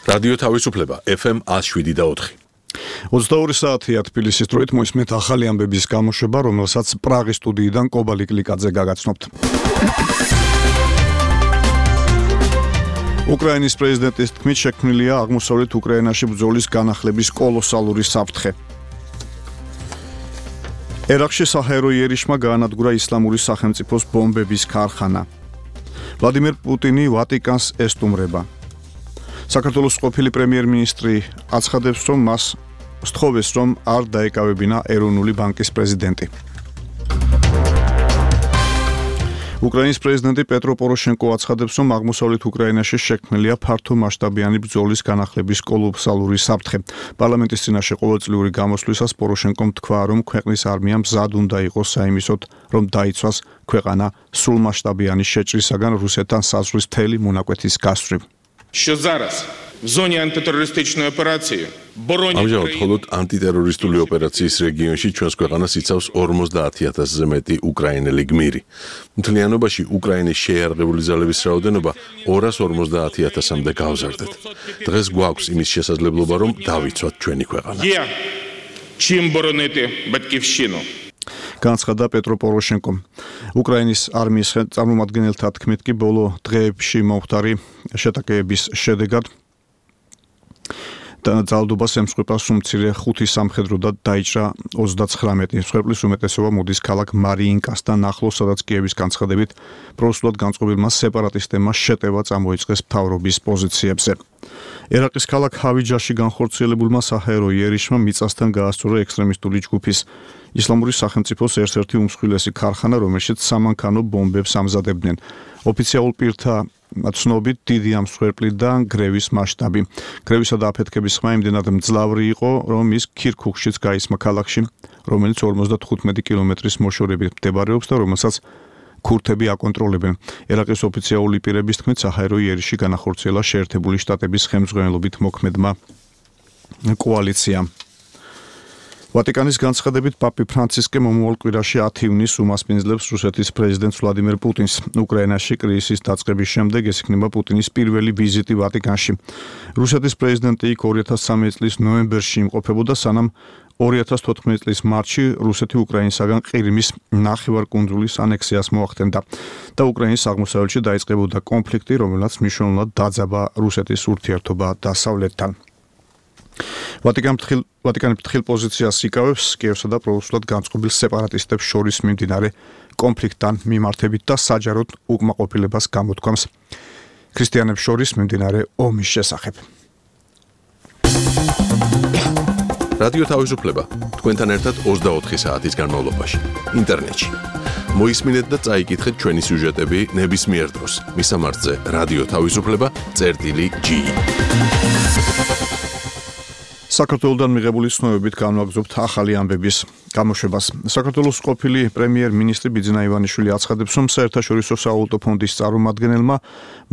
რადიო თავისუფლება FM 107.4. 22 საათია თბილისის დროით მოისმენთ ახალი ამბების გამოშვება, რომელსაც პრაღის სტუდიიდან კობალი კლიკაძე გაგაცნობთ. უკრაინის პრეზიდენტის თქმით შექმნილია აღმოსავლეთ უკრაინაში ბრძოლის განახლების კოლოსალური საფრთხე. ერაყში საჰაერო იერიშმა გაანადგურა ისლამური სახელმწიფოს ბომბების ქარხანა. ვლადიმერ პუტინი ვატიკანს ესტუმრება. საქართველოს ყოფილი პრემიერ-მინისტრი აცხადებს, რომ მას სთხოვეს, რომ არ დაეკავებინა ეროვნული ბანკის პრეზიდენტი. უკრაინის პრეზიდენტი პეტრო პოროშენკო აცხადებს, რომ აღმოსავლეთ უკრაინაში შექმნილია ფართო მასშტაბიანი ბრძოლის განახლების კოლოსალური საფრთხე. პარლამენტის წინაშე ყოველწლიური გამოსვლისას პოროშენკომ თქვა, რომ ქვეყნის არმია მზად უნდა იყოს საიმისოდ, რომ დაიცვას ქვეყანა სრულმასშტაბიანი შეჭრისაგან რუსეთთან საზღვრის მთელი მონაკვეთის გასწვრივ. Що зараз в зоні антитерористичної операції боронять ამჟამად მხოლოდ ანტიტერორისტული ოპერაციის რეგიონში ჩვენს ქვეყანას იცავს 50,000-ზე მეტი უკრაინელი გმირი. მთლიანობაში უკრაინის შეიარაღებული ძალების რაოდენობა 250,000-მდე გავზარდეთ. დღეს გვაქვს იმის შესაძლებლობა, რომ დავიცვათ ჩვენი ქვეყანა. Є чим боронити батьківщину. განცხადა პეტრო პოროშენკომ. უკრაინის არმიის წარმომადგენელთა თქმით კი ბოლო დღეებში მომხდარი შეტაკებების შედეგად ძალადობას ემსხვერპლა სუმცირე 5 სამხედრო და დაიჭრა 39. მსხვერპლის უმეტესობა მოდის ქალაქ მარიინკასთან ახლოს, სადაც კიევის განცხადებით პროსულად განწყობილმა სეპარატისტებმა შეტევა წამოიწყეს მთავრობის პოზიციებზე. ერაყის ქალაქ ჰავიჯაში განხორციელებულმა საჰაერო იერიშმა მიწასთან გაასწორა ექსტრემისტული ჯგუფის ისლამური სახელმწიფოს ერთ-ერთი უმსხვილესი ქარხანა, რომელშიც სამანქანო ბომბებს ამზადებდნენ. ოფიციალურ პირთა ცნობით დიდია მსხვერპლიდან გრევის მასშტაბი. გრევისა და აფეთქების ხმა იმდენად მძლავრი იყო, რომ ის ქირქუქშიც გაისმა ქალაქში, რომელიც 55 კილომეტრის მოშორებით მდებარეობს და რომელსაც ქურთები აკონტროლებენ. ერაყის ოფიციალური პირების თქმით, საჰაერო იერიში განახორციელა შეერთებული შტატების ხელმძღვანელობით მოქმედმა კოალიციამ. ვატიკანის განცხადებით პაპი ფრანცისკე მომავალ კვირაში 10 ივნისს უმასპინძლებს რუსეთის პრეზიდენტს ვლადიმერ პუტინს. უკრაინაში კრიზისის დაწყების შემდეგ ეს იქნება პუტინის პირველი ვიზიტი ვატიკანში. რუსეთის პრეზიდენტი იქ 2013 წლის ნოემბერში იმყოფებოდა, სანამ 2014 წლის მარტში რუსეთი უკრაინისაგან ყირიმის ნახევარკუნძულის ანექსიას მოახდენდა და უკრაინის აღმოსავლეთში დაიწყებოდა კონფლიქტი, რომელსაც მნიშვნელოვნად დაძაბა რუსეთის ურთიერთობა დასავლეთთან. ვატიკანი ფრთხილ პოზიციას იკავებს კიევსა და პროსულად განწყობილ სეპარატისტებს შორის მიმდინარე კონფლიქტთან მიმართებით და საჯაროდ უკმაყოფილებას გამოთქვამს ქრისტიანებს შორის მიმდინარე ომის შესახებ. რადიო თავისუფლება თქვენთან ერთად 24 საათის განმავლობაში ინტერნეტში. მოისმინეთ და წაიკითხეთ ჩვენი სიუჟეტები ნებისმიერ დროს. მისამართზე რადიო თავისუფლება.g. საქართველოსთან მიღებული ცნობებით განვაგრძობთ ახალი ამბების გამოშვებას. საქართველოს ყოფილი პრემიერ-მინისტრი ბიძინა ივანიშვილი აცხადებს, რომ საერთაშორისო სავალუტო ფონდის წარმომადგენელმა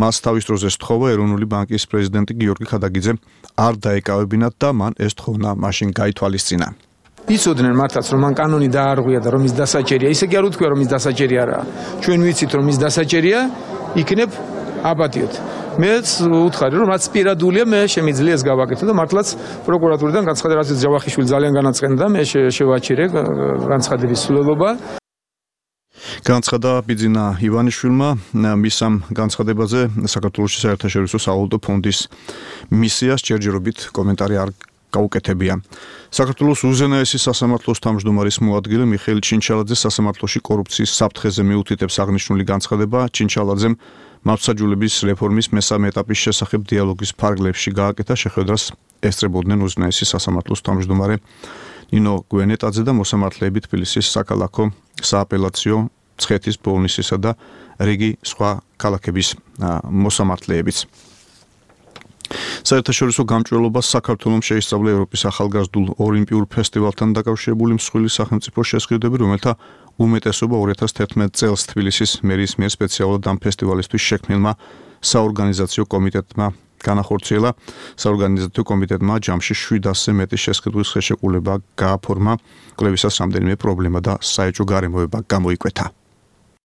მას თავის დროზე სთხოვა ეროვნული ბანკის პრეზიდენტი გიორგი ხადაგიძე არ დაეკავებინათ და მან ეს თხოვნა მაშინ გაითვალისწინა. იცოდნენ მართლაც, რომ მან კანონი დაარღვია და რომ ის დასაჭერია. ისე კი არ უთქვია, რომ ის დასაჭერი არაა. ჩვენ ვიცით, რომ ის დასაჭერია, იქნებ აპატიოთ. მეც უთხარი, რომ რაც პირადულია, მე შემიძლია ეს გავაკეთო და მართლაც პროკურატურიდან განცხადა, რაც ჯავახიშვილი ძალიან განაცხენდა, მე შევაჩერე განცხადების სრულობა. განცხადა ბიძინა ივანიშვილმა მის ამ განცხადებაზე საქართველოს საერთაშორისო სავალუტო ფონდის მისიას ჯერჯერობით კომენტარი არ გაუკეთებია. საქართველოს უზენაესი სასამართლოს თავმჯდომარის მოადგილე მიხეილ ჩინჩალაძე სასამართლოში კორუფციის საფრთხეზე მიუთითებს აღნიშნული განცხადება. ჩინჩალაძემ მართლმსაჯულების რეფორმის მესამე ეტაპის შესახებ დიალოგის ფარგლებში გააკეთა შეხვედრას ესწრებოდნენ უზენაესი სასამართლოს თავმჯდომარე ნინო გვენეტაძე და მოსამართლეები თბილისის საქალაქო, სააპელაციო, მცხეთის, ბოლნისისა და რიგი სხვა ქალაქების მოსამართლეებიც. საერთაშორისო გამჭვირვალობას საქართველოს შეისწავლა ევროპის ახალგაზრდულ ოლიმპიურ ფესტივალთან დაკავშირებული მსხვილი სახელმწიფო შესყიდვები, რომელთა უმეტესობა 2011 წელს თბილისის მერიის მიერ სპეციალურად ამ ფესტივალისთვის შექმნილმა საორგანიზაციო კომიტეტმა განახორციელა. საორგანიზაციო კომიტეტმა ჯამში 700-ზე მეტი შესყიდვის ხელშეკრულება გააფორმა, კვლევისას რამდენიმე პრობლემა და საეჭვო გარემოება გამოიკვეთა.